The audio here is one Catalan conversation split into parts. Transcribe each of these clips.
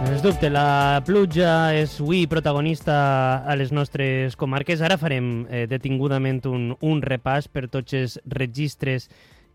Sens dubte, la pluja és avui protagonista a les nostres comarques. Ara farem detingudament un repàs per tots els registres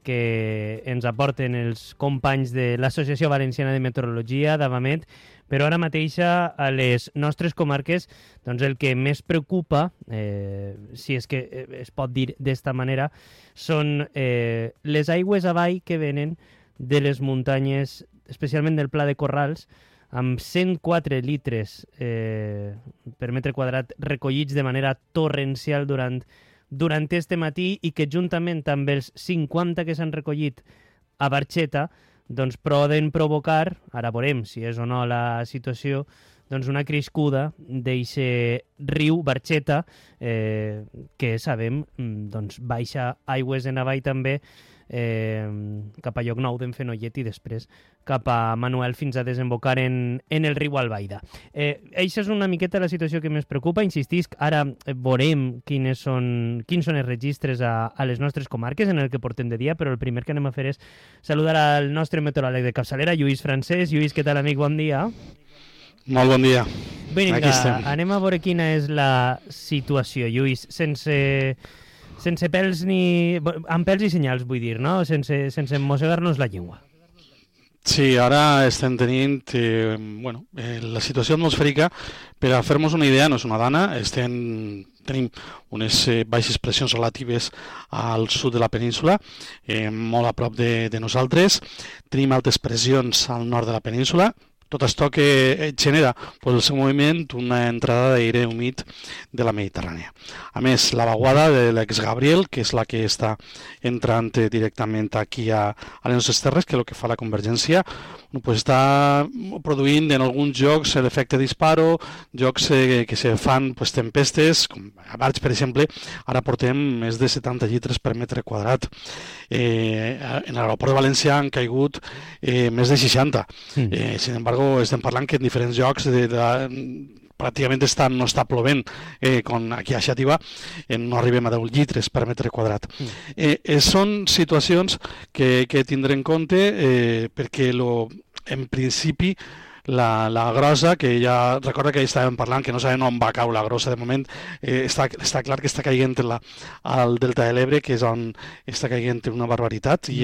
que ens aporten els companys de l'Associació Valenciana de Meteorologia, d'Avamet, però ara mateix a les nostres comarques doncs el que més preocupa, si és que es pot dir d'esta manera, són les aigües avall que venen de les muntanyes, especialment del Pla de Corrals, amb 104 litres per metre quadrat recollits de manera torrencial durant este matí i que juntament amb els 50 que s'han recollit a Barxeta doncs poden provocar, ara veurem si és o no la situació, doncs una crescuda d'eixe riu Barxeta que sabem doncs baixa aigües en avall també cap a Llocnou d'en Fenollet i després cap a Manuel fins a desembocar en el riu Albaida. Eixa és una miqueta la situació que més preocupa. Insistisc, ara veurem quins són els registres a les nostres comarques en el que portem de dia, però el primer que anem a fer és saludar al nostre meteoròleg de capçalera, Lluís Francés. Lluís, què tal, amic? Bon dia. Molt bon dia. Vinga, anem a veure quina és la situació, Lluís, sense pèls ni... amb pèls i senyals, vull dir, no? Sense mossegar-nos la llengua. Sí, ara estem tenint la situació atmosfèrica, per a fer-nos una idea, no és una dana, tenim unes baixes pressions relatives al sud de la península, molt a prop de nosaltres, tenim altes pressions al nord de la península. Tot això que genera el seu moviment una entrada d'aire humit de la Mediterrània. A més, la vaguada de l'ex Gabriel, que és la que està entrant directament aquí a les nostres terres, que és el que fa la convergència, està produint en alguns jocs l'efecte disparo, jocs que se fan tempestes, com a Barx, per exemple, ara portem més de 70 litres per metre quadrat. En l'aeroport de València han caigut més de 60. Sin embargo, estem parlant que en diferents llocs pràcticament no està plovent, aquí a Xàtiva no arribem a 10 litres per metre quadrat. Són situacions que tindrem en compte perquè en principi la grossa, que ja recorda que estàvem parlant que no sabem on va caure la grossa de moment, està clar que està caient al Delta de l'Ebre, que és on està caient una barbaritat, i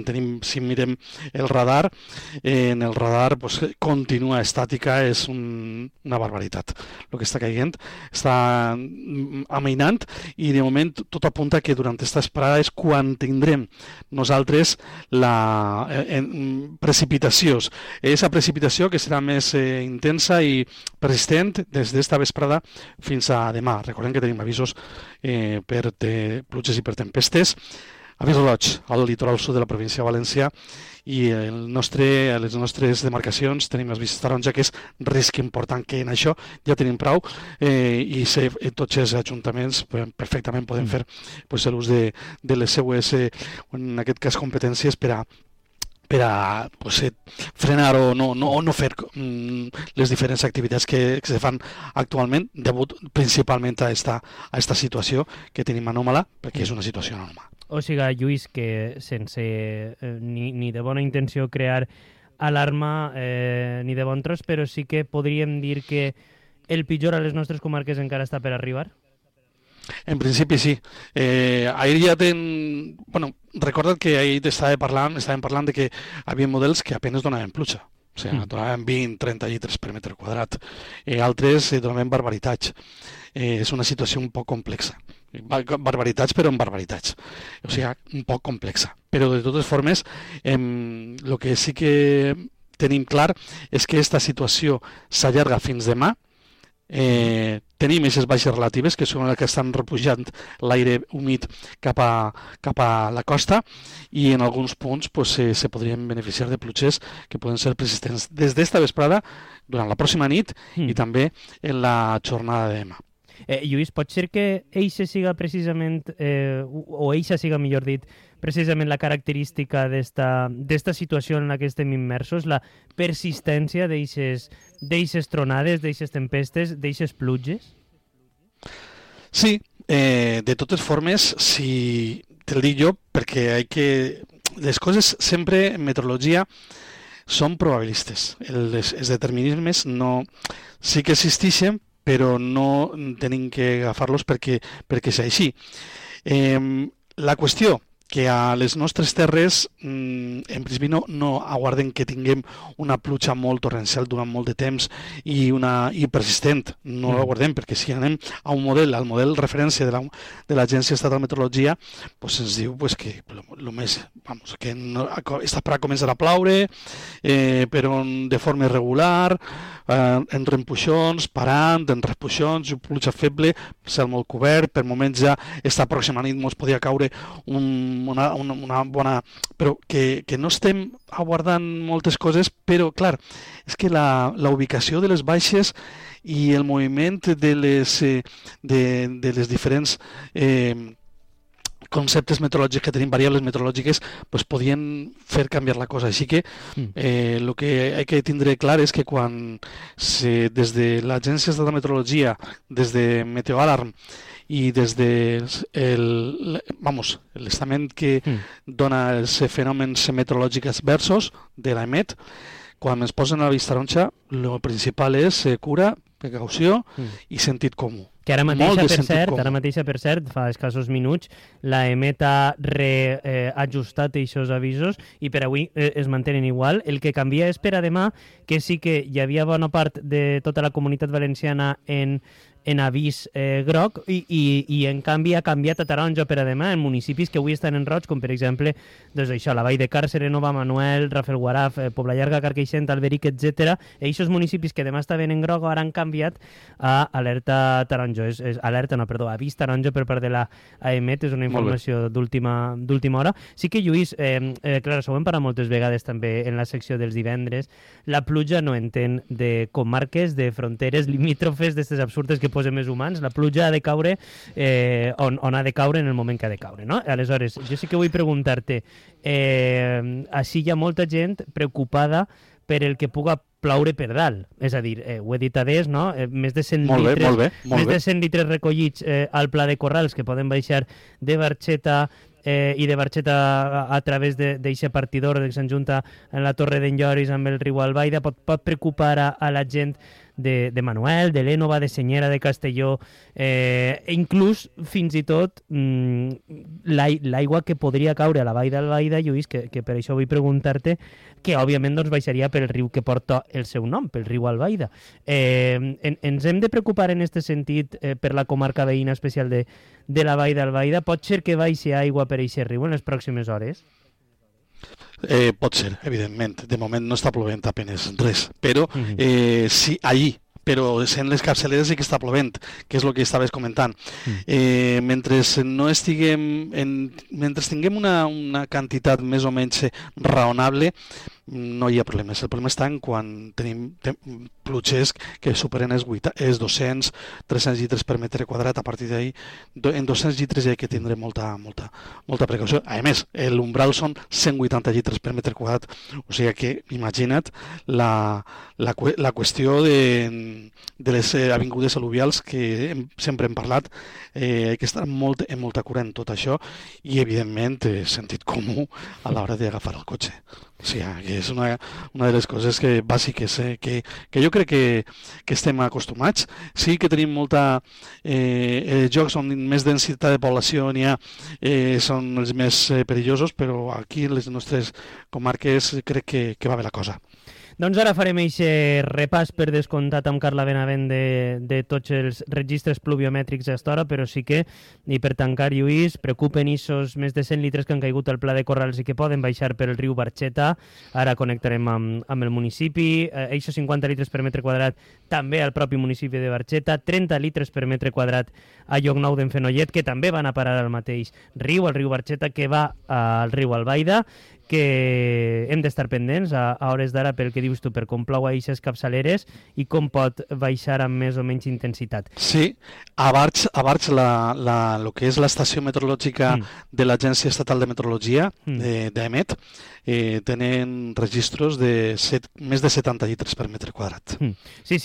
tenim, si mirem el radar, en el radar continua estàtica, és una barbaritat el que està caient, està amainant, i de moment tot apunta que durant aquesta esperada és quan tindrem nosaltres la precipitació. Aquesta precipitació que serà més intensa i persistent des d'esta vesprada fins a demà. Recordem que tenim avisos per pluges i per tempestes. Avís roig al litoral sud de la província de València, i a les nostres demarcacions tenim avisos taronja, que és risc important, que en això ja tenim prou, i tots els ajuntaments perfectament poden fer l'ús de les seues, en aquest cas, competències per a frenar o no fer les diferents activitats que se fan actualment, degut principalment a esta situació que tenim anòmala, perquè és una situació anòmala. O sigui, Lluís, que sense ni de bona intenció crear alarma ni de bon tros, però sí que podríem dir que el pitjor a les nostres comarques encara està per arribar? En principi sí. Ahir ja recorda't que ahir estàvem parlant de que hi havia models que apenas donaven pluja. O sigui, donaven 20-30 litres per metre quadrat. Altres donaven barbaritats. És una situació un poc complexa. Barbaritats, però en barbaritats. O sigui, un poc complexa. Però de totes formes, el que sí que tenim clar és que aquesta situació s'allarga fins demà. Tenim aquestes baixes relatives, que són les que estan repujant l'aire humit cap a la costa, i en alguns punts se podrien beneficiar de pluges que poden ser persistents des d'esta vesprada, durant la pròxima nit i també en la jornada de demà. Lluís, pot ser que eixa siga precisament, o eixa siga, millor dit, precisament la característica d'esta situació en la que estem immersos, la persistència d'eixes tronades, d'eixes tempestes, d'eixes pluges? Sí, de totes formes, si te'l dic jo, perquè les coses sempre en meteorologia són probabilistes. Els determinismes no, sí que existeixen, però no tenim que agafar-los perquè és així. La qüestió que a les nostres terres en principi no aguardem que tinguem una pluja molt torrencial durant molt de temps i persistent, no l'aguardem, perquè si anem a un model, al model referència de l'Agència Estatal de Meteorologia, pues ens diu pues, que lo més, que no, està per a començar a ploure, però de forma irregular, en rempuixons, parant, en repuixons, pluja feble, cel molt cobert, per moments ja esta pròxima nit ens podia caure una bona... Però que no estem aguardant moltes coses, però, clar, és que la ubicació de les baixes i el moviment de les diferents conceptes meteorològics que tenim, variables meteorològiques, pues podien fer canviar la cosa. Així que el que hay que tindre clar és que quan des de l'Agència Estatal de Meteorologia, des de Meteoalarm i des de l'estament que dona els fenòmens meteorològics adversos de l'EMET, quan es posen a la vista taronja, el principal és cura, precaució i sentit comú. Que ara mateixa, per cert, fa escassos minuts, la EMET ha reajustat aquests avisos i per avui es mantenen igual. El que canvia és per a demà, que sí que hi havia bona part de tota la comunitat valenciana en avís groc i en canvi ha canviat a taronja per a demà en municipis que avui estan en roig, com per exemple doncs això, la Vall de Càrcer, Nova Manuel, Rafelguaraf, Pobla Llarga, Carqueixent, Alberic, etc. Aquests municipis que demà estaven en groc ara han canviat a alerta taronja. Avís taronja per part de la AEMET, és una informació d'última hora. Sí que, Lluís, clar, això ho hem parlat moltes vegades també en la secció dels divendres, la pluja no entén de comarques, de fronteres limítrofes, d'aquestes absurdes que posen més humans. La pluja ha de caure on ha de caure en el moment que ha de caure, no? Aleshores, jo sí que vull preguntar-te, així hi ha molta gent preocupada per el que puga ploure per dalt. És a dir, ho he dit adés, no? Més de 100 litres recollits al Pla de Corrals que poden baixar de Barxeta i de Barxeta a través d'aquest partidor que s'enjunta en la Torre d'en Lloris amb el riu Albaida, pot preocupar a la gent de Manuel, de l'Énova, de Senyera, de Castelló, inclús, fins i tot, l'aigua que podria caure a la vall d'Albaida, Lluís, que per això vull preguntar-te, que òbviament doncs, baixaria pel riu que porta el seu nom, pel riu Albaida. Ens hem de preocupar en aquest sentit per la comarca veïna especial de la vall d'Albaida? Pot ser que baixi aigua per aquest riu en les pròximes hores? Pot ser, evidentment. De moment no està plovent apenes res, però sí, allí, però sent les capçaleres sí que està plovent, que és el que estaves comentant. Mentre tinguem una quantitat més o menys raonable, no hi ha problemes. El problema està en quan tenim pluges que superen els 200, 300 llitres per metre quadrat. A partir d'ahí, en 200 llitres hi ha que tindre molta precaució. A més, l'umbral són 180 llitres per metre quadrat. O sigui que, imagina't la qüestió de les avingudes al·luvials que sempre hem parlat. Hi ha que estar en molta cura en tot això i, evidentment, sentit comú a l'hora d'agafar el cotxe. O sigui, que és una de les coses bàsiques que jo crec que estem acostumats. Sí que tenim molta... els llocs on més densitat de població n'hi ha són els més perillosos, però aquí en les nostres comarques crec que va bé la cosa. Doncs ara farem aquest repàs per descomptat amb Carla Benavent de tots els registres pluviomètrics a estora, però sí que, i per tancar, Lluís, preocupen aquests més de 100 litres que han caigut al Pla de Corrals i que poden baixar per el riu Barxeta. Ara connectarem amb el municipi. Aquests 50 litres per metre quadrat també al propi municipi de Barxeta, 30 litres per metre quadrat a Llocnou d'en Fenollet, que també van a parar al mateix riu, al riu Barxeta, que va al riu Albaida, que hem d'estar pendents a hores d'ara pel que dius tu, per com plou a aquestes capçaleres i com pot baixar amb més o menys intensitat. Sí, a Barx el que és l'estació meteorològica de l'Agència Estatal de Meteorologia, d'EMET, tenen registros de més de 70 litres per metre quadrat. Sí,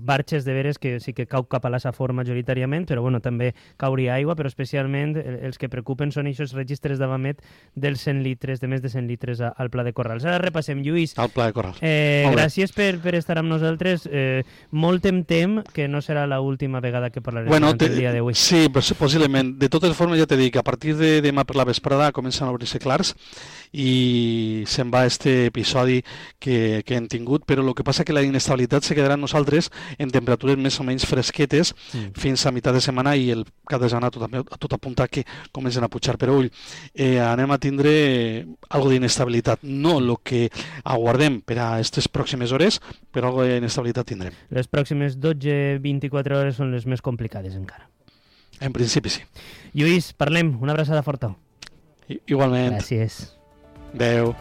Barxes de veres que sí que cau cap a la Safor majoritàriament, però bueno, també cauria aigua, però especialment els que preocupen són aquests registres d'Avamet dels 100 litres de més de 100 litres al Pla de Corrals. Ara repassem, Lluís. Al Pla de Corrals. Gràcies per estar amb nosaltres. Molt em tem que no serà l'última vegada que parlarem el dia d'avui. Sí, possiblement. De totes formes, ja t'he dit que a partir de demà per la vesprada comencen a obrir-se clars i se'n va este episodi que hem tingut, però el que passa que la inestabilitat se quedarà amb nosaltres en temperatures més o menys fresquetes fins a meitat de setmana i el cap de setmana tot apunta que comencen a pujar. Però ull, anem a tindre algo d'inestabilitat, no el que aguardem per a aquestes pròximes hores, però algo d'inestabilitat tindrem. Les pròximes 12-24 hores són les més complicades encara. En principi sí. Lluís, parlem. Una abraçada forta. Igualment. Gràcies. Adéu.